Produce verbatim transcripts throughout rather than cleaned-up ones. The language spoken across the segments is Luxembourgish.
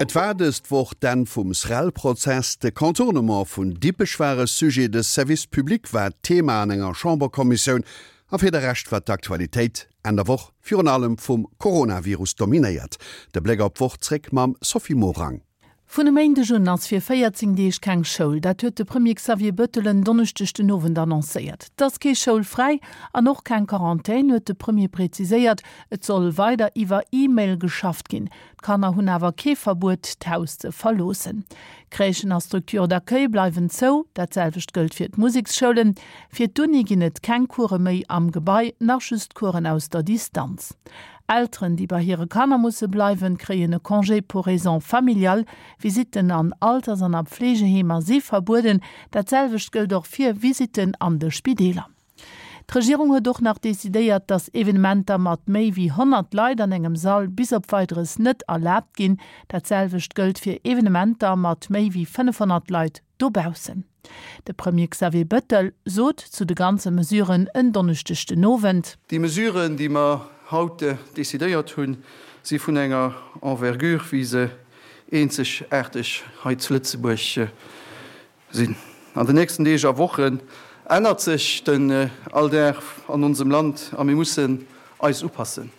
Et war dës Woch d'Enn vum SREL-Prozess, de Contournement vun Dippech war e Sujet, de Service public war Thema an enger Chamberkommissioun a fir de Rescht war d'Aktualitéit Enn der Woch virun allem vum Coronavirus dominéiert. De Bléck op d'Woch zréck mam Sophie Morang. Vun e Méindeg un ass fir véierzéng Deeg keng Schoul. Dat huet de Premier Xavier Bettel en Donneschdeg den Owend annoncéiert. Et ass kee Schoulfräi an och keng Quarantän, huet de Premier präziséiert. Et soll weider iwwer E-Mail geschafft ginn. D'Kanner hunn awer kee Verbuet, d'Haus ze verloossen. Crèchen a Structures d'accueil bleiwen zou. Dat selwecht gëllt fir d'Museksschoulen. Fir d'Uni ginn et keng Course méi am Gebai, nach just Coursen aus der Distanz. Elteren, déi bei hire Kanner musse bleiwen, kréien e Congé pour raisons familiales. Visitten an Alters an a Pflegeheemer si verbueden. Dat selwecht gëllt och fir Visitten an de Spideeler. D'Regierung huet och nach decidéiert, datt Evenementer mat méi wéi honnert Leit an engem Sall bis op Weideres net erlaabt ginn. Dat selwecht gëllt fir Evenementer mat méi wéi fënnefhonnert Leit dobaussen. De Premier Xavier Bettel sot zu de ganze Mesuren en Donneschdeg den Owend. Déi Mesuren, déi mer haut decidéiert hunn, si vun enger Envergure, wéi se eenzegaarteg hei zu Lëtzebuerg sinn. An den nächsten Deeg a Wochen ännert sech den Alldag an onsem Land a mir mussen eis upassen.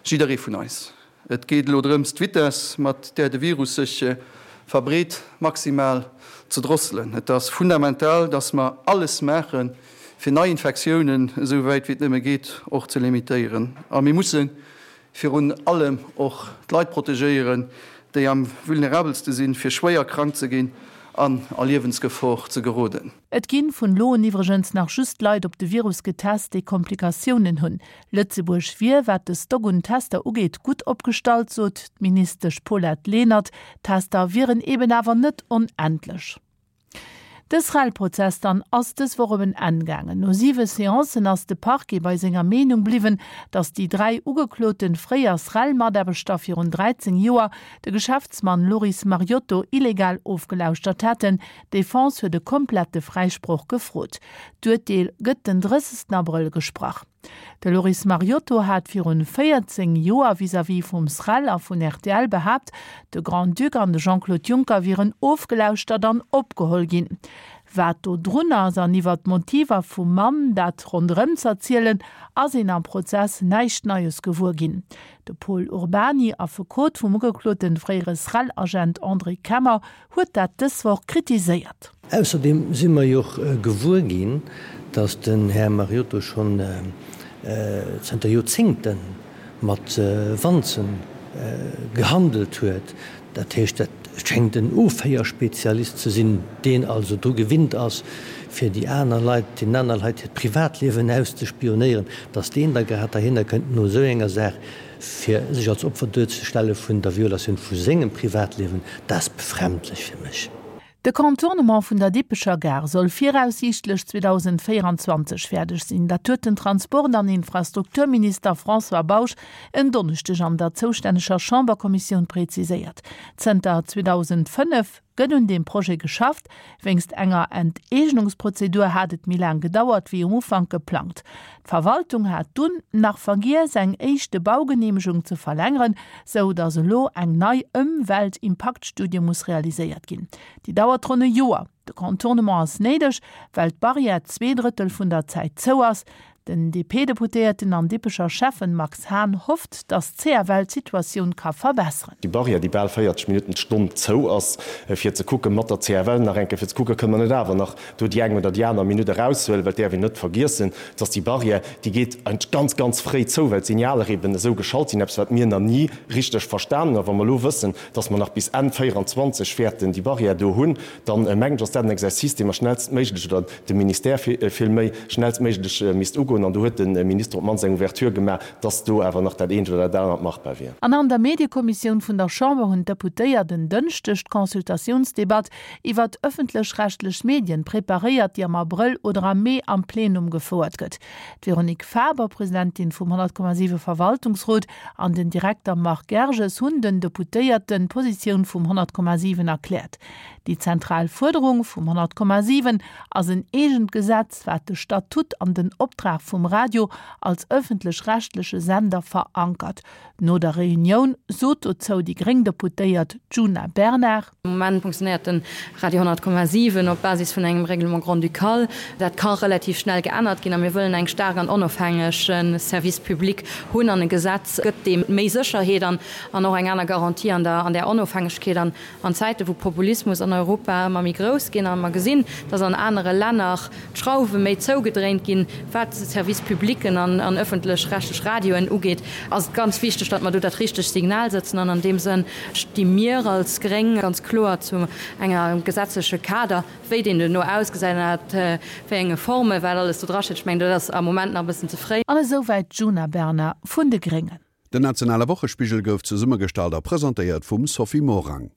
Jidderee vun eis. Et geet elo drëms, d'Vitess, mat där de Virus sech verbreet, maximal ze drosselen. Et ass fundamental, dass mer alles maachen, fir nei Infektiounen, esou wäit wéi et nëmme geet, och ze limitéieren. A mir musse virun allem och d'Leit protegéieren, déi am vulnerabelste sinn, fir schwéier krank ze ginn an a Liewensgefor ze geroden. Et ginn vun elo un iwwregens nach just Leit op de Virus getest, déi Komplikatiounen hunn. Lëtzebuerg wier, wat de Stock un Tester ugeet, gutt opgestallt, sot d'Ministesch Paulette Lenert. D'Tester wieren eben awer net onendlech. De SREL-Prozess dann ass dës Woch op en Enn gaangen. No siwe Seancen ass de Parquet bei senger Meenung bliwwen, datt déi dräi ugeklote fréier SREL-Mataarbechter virun dräizéng Joer de Geschäftsmann Loris Mariotto illegal ofgelauschtert hätten. D'Defense huet e komplette Fräisproch gefrot. D'Urteel gëtt den drëssegsten Abrëll gesprach. De Loris Mariotto hat virun véierzéng Joer vis-à-vis vum SREL a vun rtl behaapt, de Grand-Duc an de Jean-Claude Juncker wieren ofgelauschtert an opgeholl ginn. Wat do drun ass an iwwer d'Motiver vum Mann, dat ronderëm z'erzielen, ass een am Prozess näischt Neies gewuer ginn. De Pol Urbany, Affekot vum ugekloten fréiere SREL-Agent André Kemmer, huet dat dës Woch kritiséiert. Ausserdeem si mer jo och gewuer ginn, dass den Här Mariotto schonn zënter Joerzéngte mat Wanze gehandelt huet. Dat heescht, dat schéngt en Ofhéierspezialist ze sinn, deen also dru gewinnt ass, fir déi aner Leit, deenen aner Leit hiert Privatliewen auszespionéieren. Dass deen da grad derhinner kënnt no esou enger Saach, fir sech als Opfer duerzestelle vun der Violatioun vu sengem Privatliewen, dat ass befremdlech fir mech. De Contournement vun der Dippecher Gare soll viraussiichtlech zweedausendvéieranzwanzeg fäerdeg sinn. Dat huet den Transport an Infrastrukturminister François Bausch en Donneschdeg an der zoustänneger Chamberkommissioun preziséiert. Zënter zweedausendfënnef gëtt un deem Projet geschafft. Wéinst enger Enteegnungsprozedur hat et méi laang gedauert wéi um Ufank geplangt. D'Verwaltung hat dunn nach vergiess, eng éischte Baugeneemegung ze verlängeren, sou datt elo eng nei Ëmweltimpaktstudie muss realiséiert ginn. Déi dauert ronn e Joer. De Contournement ass néideg, well d'Barrière zwee Drëttel vun der Zäit zou ass. Den D P-Deputéierten an Dippecher Schäffen Max Hahn hofft, datt d'C F L d'Situatioun ka verbesseren. Déi Barrière, déi bal véierzeg Minutten d'Stonn zou ass, fir ze kucken, mat der C F L nach eng Kéier, fir ze kucken, kënne mer net awer nach do déi eng oder déi aner Minutt eraushuelen, well et däerf een net vergiessen, dass déi Barrière, déi geet eigentlech ganz, ganz fréi zou, well d'Signaler eben esou geschalt sinn, eppes wat mir nach ni richteg verstanen hunn. A wa mer elo wëssen, dass mer nach bis Enn véieranzwanzeg wäerten déi Barrière do hunn, dann mengen ech, ass dat en Exercice, dee mer schnellstméiglech, oder de Ministère villméi, schnellstméiglech misst ugoen. An do huet de Minister op d'mannst eng Ouverture gemaach, dass do awer nach dat eent oder dat anert machbar wier. An an der Mediekommissioun vun der Chamber hunn d'Deputéiert en Dënschdeg d'Consultatiounsdebatt iwwert ëffentlech-rechtlech Medien preparéiert, déi am Abrëll oder am Mee am Plenum gefouert gëtt. D'Véronique Faber, Presidentin vum honnert Komma siwe Verwaltungsrot, an den Direkter Marc Gerges hunn den Deputéierten d'Positioun vum honnert Komma siwen erkläert. Déi zentral Fuerderung vum honnert Komma siwen ass en eegent Gesetz, wat de Statut an den Optrag vum Radio als ëffentlech-rechtleche Sender verankert. No der Reunioun sot dozou déi gréng Deputéiert Djuna Bernard. Am Moment funktionéiert de Radio honnert Komma siwen op Basis vun engem Règlement grand-ducal. Dat ka relativ schnell geännert ginn a mir wëllen eng staark an onofhängeg Service public hunn an e Gesetz gëtt deem méi Sécherheet an och eng aner Garantie an der Onofhängegkeet. An an Zäite wou Populismus an Europa ëmmer méi grouss ginn a mer gesinn, datt an anere Länner d'Schrauwe méi zougedréint ginn, wat Service publicen an ëffentlech-rechtlech Radioen ugeet, ass et ganz wichteg, datt mer do dat richtegt Signal sëtzen. An an deem Sënn sti mir als Gréng ganz kloer zu engem gesetzleche Kader. Wéi deen duerno ausgesäit an ënnert wéi enge Formen, wat alles do drasteet, ech mengen, dat ass am Moment nach e bëssen ze fréi. An esou wäit d'Djuna Bernard vun de Gréngen. Den nationale Wochespigel gouf zesummegestallt a presentéiert vum Sophie Morang.